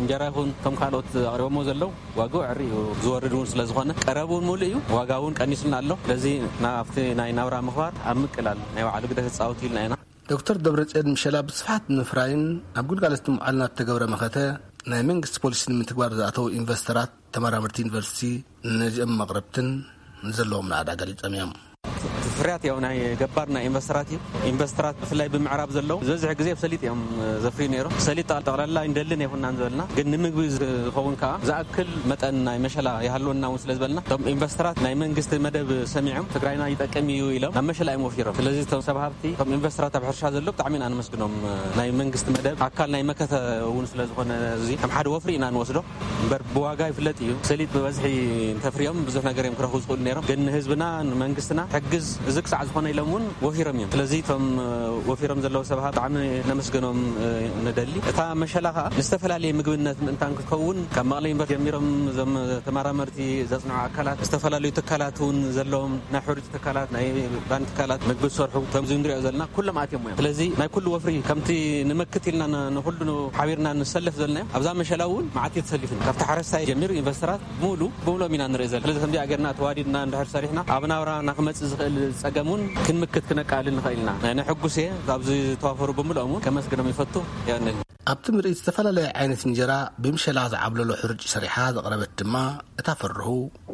እንጀራ ይኹን እቶም ካልኦት ኣቕሪቦሞ ዘለዉ ዋግኡ ዕሪ እዩ ዝወርድ እውን ስለ ዝኾነ ቀረብ እውን ሙሉእ እዩ። ዋጋ እውን ቀኒስና ኣሎ። ስለዚ ናብቲ ናይ ናብራ ምኽባር ኣብ ምቅላል ናይ ባዕሉ ግደ ክፃወት ኢልና ኢና። ዶክተር ደብረጽዮን ምሸላ ብስፍሓት ንምፍራይን ኣብ ግልጋሎት ንምዓልና እተገብረ መኸተ ናይ መንግስቲ ፖሊሲ ንምትግባር ዝኣተዉ ኢንቨስተራት ተመራመርቲ ዩኒቨርሲቲ ነዚኦም መቕረብትን ንዘለዎም ናእዳ ገሊጾም እዮም። እቲ ፍርያት ያው ናይ ገባር ናይ ኢንቨስተራት እዩ። ኢንቨስተራት ብፍላይ ብምዕራብ ዘለዉ ዝበዝሕ ግዜ ብሰሊጥ እዮም ዘፍርዩ ነይሮም። ሰሊጥ ጠቕላላ ኣይንደልን ኣይኮናን ዝበልና፣ ግን ንምግቢ ዝኸውን ከዓ ዝኣክል መጠን ናይ መሸላ ይሃልወና እውን ስለ ዝበልና እቶም ኢንቨስተራት ናይ መንግስቲ መደብ ሰሚዖም ትግራይና ይጠቅም እዩ ኢሎም ናብ መሸላ እዮም ወፊሮም። ስለዚ እቶም ሰብ ሃብቲ እቶም ኢንቨስተራት ኣብ ሕርሻ ዘሎ ብጣዕሚ ኢና ነመስግኖም። ናይ መንግስቲ መደብ ኣካል ናይ መከተ እውን ስለ ዝኾነ እዚ ከም ሓደ ወፍሪ ኢና ንወስዶ። እምበር ብዋጋ ይፍለጥ እዩ። ሰሊጥ ብበዝሒ እንተፍርዮም ብዙሕ ነገር እዮም ክረኽቡ ዝኽእሉ ነይሮም። ግን ንህዝብና ንመንግስትና ሕግዝ እዚ ክሳዕ ዝኾነ ኢሎም እውን ወፊሮም እዮም። ስለዚ እቶም ወፊሮም ዘለዉ ሰባት ብጣዕሚ ነመስገኖም ንደሊ። እታ መሸላ ከዓ ንዝተፈላለየ ምግብነት ምእንታን ክትከውን ካብ መቐለ ዩኒቨርሲቲ ጀሚሮም እዞም ተመራመርቲ ዘፅንዑ ኣካላት ዝተፈላለዩ ትካላት እውን ዘለዎም ናይ ሕሩጭ ትካላት ናይ ባኒ ትካላት ምግቢ ዝሰርሑ ከምዚ ንሪኦ ዘለና ኩሎም ኣትዮም እዮም። ስለዚ ናይ ኩሉ ወፍሪ ከምቲ ንመክት ኢልና ንኩሉ ሓቢርና ንሰለፍ ዘለናዮ ኣብዛ መሸላ እውን መዓት እዩ ተሰሊፉ ካብቲ ሓረስታይ ጀሚሩ ኢንቨስተራት ብምሉ ብምሎም ኢና ንርኢ ዘለና። ስለዚ ከምዚኣ ጌርና ተዋዲድና እንድሕር ሰሪሕና ኣብ ናብራና ክመፅእ ዝኽእል ፀገም እውን ክንምክት ክነቃልል ንኽእል ኢና። ናይ ነሕጉስ እየ ኣብዚ ዝተዋፈሩ ብምልኦም እውን ከመስግኖም ይፈቱ። የቐንል። ኣብቲ ምርኢት ዝተፈላለየ ዓይነት እንጀራ ብምሸላ ዝዓብለሎ ሕርጭ ሰሪሓ ዘቕረበት ድማ እታ ፈርሁ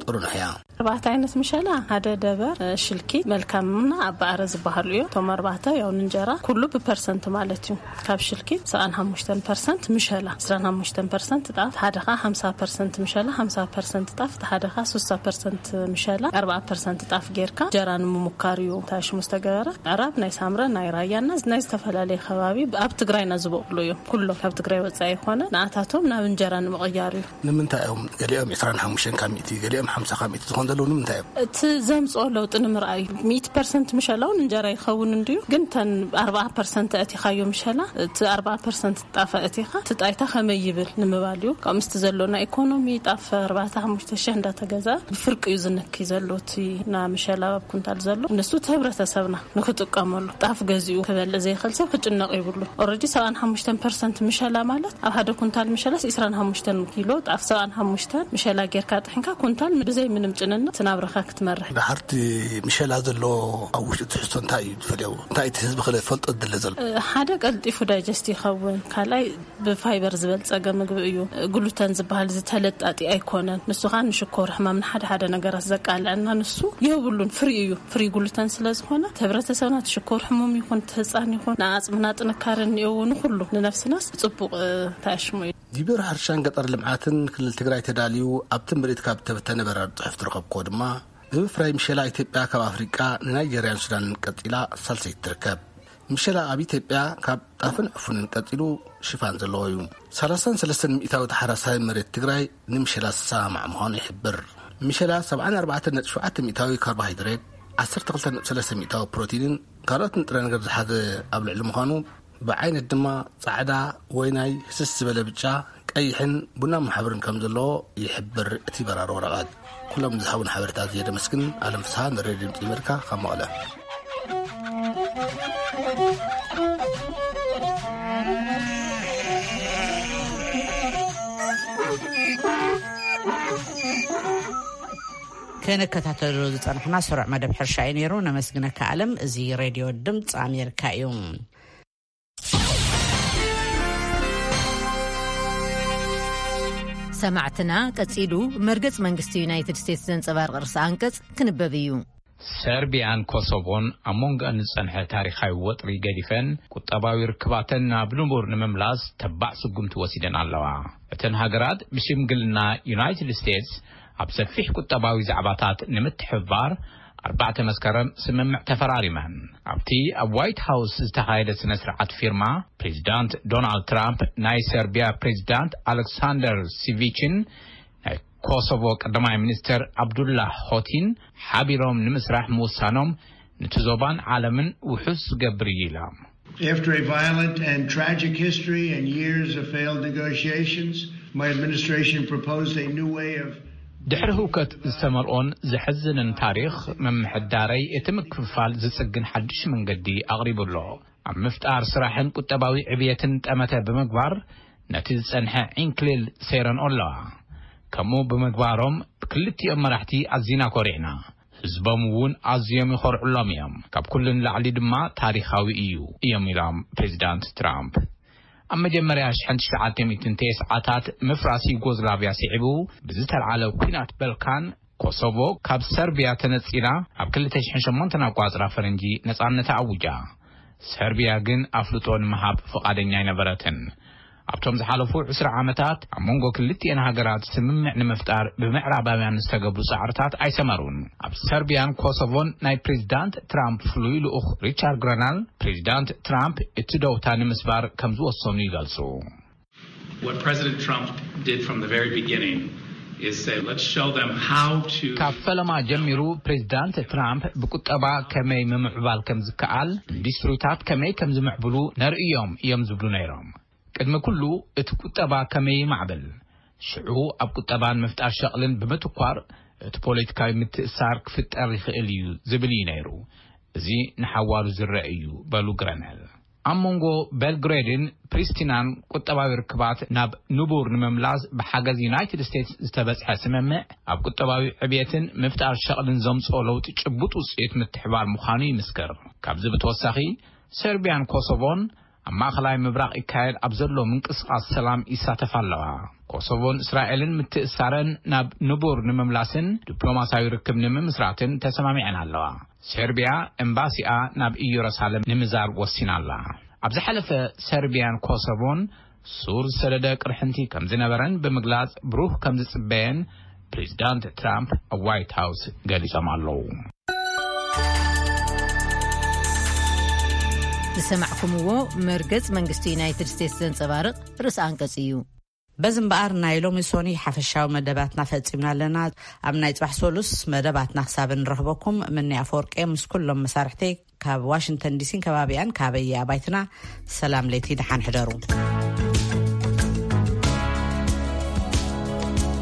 ጥሩነህ እያ። ኣርባዕተ ዓይነት ምሸላ፣ ሓደ ደበር፣ ሽልኪ፣ መልካምና ኣባዕረ ዝበሃሉ እዮም። እቶም ኣርባዕተ ያው እንጀራ ኩሉ ብፐርሰንት ማለት እዩ። ካብ ሽልኪ ሰብዓን ሓሙሽተን ፐርሰንት ምሸላ፣ ዕስራን ሓሙሽተን ፐርሰንት ጣፍ፣ ሓደ ኸዓ ሓምሳ ፐርሰንት ምሸላ፣ ሓምሳ ፐርሰንት ጣፍ፣ ሓደ ኸዓ ስሳ ፐርሰንት ምሸላ፣ ኣርባዓ ፐርሰንት ጣፍ ጌርካ እንጀራ ንምሙካር እዩ ታሽሙ ዝተገበረ። ምዕራብ ናይ ሳምረ፣ ናይ ራያና ናይ ዝተፈላለየ ከባቢ ኣብ ትግራይና ዝበቕሉ እዮም። ኩሎም ካብ ትግራይ ወፃኢ ይኾነ ንኣታቶም ናብ እንጀራ ንምቕያር እዩ። ንምንታይ እዮም ገሊኦም ዕስራን ሓሙሽተን ካብ ሚእቲ፣ ገሊኦም ሓምሳ ካብ ሚእቲ ዝኾን ዘለዉ? ንምንታይ እዮም? እቲ ዘምፅኦ ለውጢ ንምርኣይ እዩ። ሚእቲ ፐርሰንት ምሸላውን እንጀራ ይኸውን እንድዩ፣ ግን ተን ኣርባዓ ፐርሰንት ኣእቲኻዮ ምሸላ፣ እቲ ኣርባዓ ፐርሰንት ጣፍ ኣእቲኻ፣ እቲ ጣይታ ከመይ ይብል ንምባል እዩ። ካብ ምስቲ ዘሎ ናይ ኢኮኖሚ ጣፍ ኣርባዕተ ሓሙሽተ ሽሕ እንዳተገዛ ብፍርቂ እዩ ዝነኪ ዘሎ። እቲ ና ምሸላ ኣብ ኩንታል ዘሎ፣ ንሱ እቲ ህብረተሰብና ንክጥቀመሉ፣ ጣፍ ገዚኡ ክበልዕ ዘይኽእል ሰብ ክጭነቕ ይብሉ። ኦልሬዲ ሰብዓን ሓሙሽተን ፐርሰንት ምሸላ ማለት፣ ኣብ ሓደ ኩንታል ምሸላስ ዕስራን ሓሙሽተን ኪሎ ጣፍ፣ ሰብዓን ሓሙሽተን ምሸላ ጌርካ ጥሒንካ፣ ኩንታል ብዘይ ምንም ጭንነት ናብራኻ ክትመርሕ። ድሓርቲ ምሸላ ዘሎ ኣብ ውሽጢ ትሕዝቶ እንታይ እዩ ዝፈልዮ? እንታይ እቲ ህዝቢ ክፈልጦ ዝደለ ዘሎ? ሓደ፣ ቀልጢፉ ዳይጀስት ይኸውን። ካልኣይ፣ ብፋይበር ዝበልጸገ ምግቢ እዩ። ግሉተን ዝበሃል ዝተለጣጢ ኣይኮነን። ንሱ ኸኣ ንሽኮር ሕማም፣ ንሓደ ሓደ ነገራት ዘቃልዐና ንሱ የብሉን። ፍሪ እዩ። ፍሪ ግሉተን ስለ ዝኾነ፣ እቲ ህብረተሰብና እቲ ሽኮር ሕሙም ይኹን፣ እቲ ህጻን ይኹን፣ ንኣጽምና ጥንካረ እኒአዎ፣ ንኹሉ ንነፍስናስ ጽቡቕ፣ እ፣ ተኣሽሙ እዩ። ቢሮ ሕርሻን ገጠር ልምዓትን ክልል ትግራይ ተዳልዩ ኣብቲ ምርኢት ካብ ዝተበተነ በራሪ ጽሑፍ ዝረኸብክዎ ድማ፣ ብምፍራይ ምሸላ ኢትዮጵያ ካብ ኣፍሪቃ ንናይጀርያን ሱዳንን ቀጺላ ሳልሰይቲ ትርከብ። ምሸላ ኣብ ኢትዮጵያ ካብ ጣፍን ዕፉንን ቀጺሉ ሽፋን ዘለዎ እዩ። ሰላሳን ሰለስተን ሚእታዊ ተሓራሳይ መሬት ትግራይ ንምሸላ ዝሰማማዕ ምዃኑ ይሕብር። ምሸላ ሰብዓን ኣርባዕተን ነጥቢ ሸውዓተ ሚእታዊ ካርቦሃይድሬት፣ ዓሰርተ ክልተ ነጥቢ ሰለስተ ሚእታዊ ፕሮቲንን ካልኦት ንጥረ ነገር ዝሓዘ ኣብ ልዕሊ ምዃኑ፣ ብዓይነት ድማ ጻዕዳ፣ ወይናይ፣ ህስስ ዝበለ ብጫ፣ ቀይሕን ቡናማ ሕብርን ከም ዘለዎ ይሕብር እቲ በራሪ ወረቐት። ኩሎም ዝሃቡን ሓበሬታ እየ ደመስግን። ኣለም ፍስሃ፣ ንሬድዮ ድምፂ ኣሜሪካ፣ ካብ መቐለ። ከነከታተሎ ዝጸናሕና ስሩዕ መደብ ሕርሻ እዩ ነይሩ። ነመስግነካ ኣለም። እዚ ሬድዮ ድምፂ ኣሜሪካ እዩ። ሰማዕትና፣ ቀጺሉ መርገጽ መንግስቲ ዩናይትድ ስቴትስ ዘንጸባርቕ ርእሰ ኣንቀጽ ክንበብ እዩ። ሰርቢያን ኮሶቮን ኣብ መንጎኣን ዝጸንሐ ታሪኻዊ ወጥሪ ገዲፈን፣ ቁጠባዊ ርክባተን ናብ ንቡር ንምምላስ ተባዕ ስጉምቲ ወሲደን ኣለዋ። እተን ሃገራት ብሽምግልና ዩናይትድ ስቴትስ ኣብ ሰፊሕ ቁጠባዊ ዛዕባታት ንምትሕብባር ኣርባዕተ መስከረም ስምምዕ ተፈራሪመን። ኣብቲ ኣብ ዋይት ሃውስ ዝተኻየደ ስነ ስርዓት ፊርማ፣ ፕሬዚዳንት ዶናልድ ትራምፕ ናይ ሰርቢያ ፕሬዚዳንት ኣሌክሳንደር ሲቪችን ናይ ኮሶቮ ቀዳማይ ሚኒስተር ኣብዱላ ሆቲን ሓቢሮም ንምስራሕ ምውሳኖም፣ ነቲ ዞባን ዓለምን ውሑስ ዝገብር እዩ ኢላ። After a violent and tragic history and years of failed negotiations, my administration proposed a new way of ድሕሪ ህውከት ዝተመልኦን ዘሕዝንን ታሪኽ ምምሕዳረይ፣ እቲ ምክፍፋል ዝጽግን ሓድሽ መንገዲ ኣቕሪቡ ኣሎ። ኣብ ምፍጣር ስራሕን ቁጠባዊ ዕብየትን ጠመተ ብምግባር፣ ነቲ ዝጸንሐ ዕንክሊል ሰይረንኦ ኣለዋ። ከምኡ ብምግባሮም፣ ብክልቲኦም መራሕቲ ኣዚና ኮሪዕና። ህዝቦም እውን ኣዝዮም ይኾርዑሎም እዮም። ካብ ኩሉ ንላዕሊ ድማ ታሪኻዊ እዩ እዮም ኢሎም ፕሬዚዳንት ትራምፕ። ኣብ መጀመርያ ሽሕን ትሽዓተ ሚእትን ተስዓታት ምፍራስ ዩጎዝላቭያ ስዒቡ ብዝተልዓለ ኲናት በልካን፣ ኮሶቮ ካብ ሰርቢያ ተነጺላ ኣብ ክልተ ሽሕን ሸሞንተን ኣቋጽራ ፈረንጂ ነጻነታ ኣውጃ። ሰርቢያ ግን ኣፍልጦ ንምሃብ ፍቓደኛ ኣይነበረትን። ኣብቶም ዝሓለፉ ዕስራ ዓመታት ኣብ መንጎ ክልቲኤን ሃገራት ስምምዕ ንምፍጣር ብምዕራባውያን ዝተገብሩ ጻዕርታት ኣይሰመሩን። ኣብ ሰርቢያን ኮሶቮን ናይ ፕሬዚዳንት ትራምፕ ፍሉይ ልኡኽ ሪቻርድ ግረናል፣ ፕሬዚዳንት ትራምፕ እቲ ደውታ ንምስባር ከም ዝወሰኑ ይገልጹ። What President Trump did from the very beginning is say, let's show them how to ካብ ፈለማ ጀሚሩ ፕሬዚዳንት ትራምፕ ብቁጠባ ከመይ ምምዕባል ከም ዝከኣል፣ ኢንዱስትሪታት ከመይ ከም ዝምዕብሉ ነርእዮም እዮም ዝብሉ ነይሮም። ቅድሚ ኩሉ እቲ ቁጠባ ከመይ ይማዕብል፣ ሽዑ ኣብ ቁጠባን ምፍጣር ሸቕልን ብምትኳር እቲ ፖለቲካዊ ምትእሳር ክፍጠር ይኽእል እዩ ዝብል እዩ ነይሩ። እዚ ንሓዋሩ ዝረአ እዩ በሉ ግረነል። ኣብ መንጎ ቤልግሬድን ፕሪስቲናን ቁጠባዊ ርክባት ናብ ንቡር ንምምላስ ብሓገዝ ዩናይትድ ስቴትስ ዝተበጽሐ ስምምዕ፣ ኣብ ቁጠባዊ ዕብየትን ምፍጣር ሸቕልን ዘምጽኦ ለውጢ ጭቡጥ ውጽኢት ምትሕባር ምዃኑ ይምስክር። ካብዚ ብተወሳኺ፣ ሰርቢያን ኮሶቮን ኣብ ማእኸላይ ምብራቕ ይካየድ ኣብ ዘሎ ምንቅስቓስ ሰላም ይሳተፋ ኣለዋ። ኮሶቮን እስራኤልን ምትእሳረን ናብ ንቡር ንምምላስን ዲፕሎማሲያዊ ርክብ ንምምስራትን ተሰማሚዐን ኣለዋ። ሰርቢያ ኤምባሲኣ ናብ ኢየሩሳሌም ንምዛር ወሲና ኣላ። ኣብ ዝሓለፈ ሰርቢያን ኮሶቮን ሱር ዝሰደደ ቅርሕንቲ ከም ዝነበረን ብምግላጽ ብሩህ ከም ዝጽበየን ፕሬዚዳንት ትራምፕ ኣብ ዋይት ሃውስ ገሊጾም ኣለዉ። ዝሰማዕኩምዎ መርገጽ መንግስቲ ዩናይትድ ስቴትስ ዘንጸባርቕ ርእሲ ኣንቀጽ እዩ። በዚ እምበኣር ናይ ሎሚ ሶኒ ሓፈሻዊ መደባትና ፈጺምና ኣለና። ኣብ ናይ ጽባሕ ሶሉስ መደባትና ክሳብ እንረኽበኩም ምኒ ኣፈወርቄ ምስ ኩሎም መሳርሕተይ ካብ ዋሽንግተን ዲሲን ከባቢኣን ካበየ ኣባይትና ሰላም ለይቲ ደሓን ሕደሩ።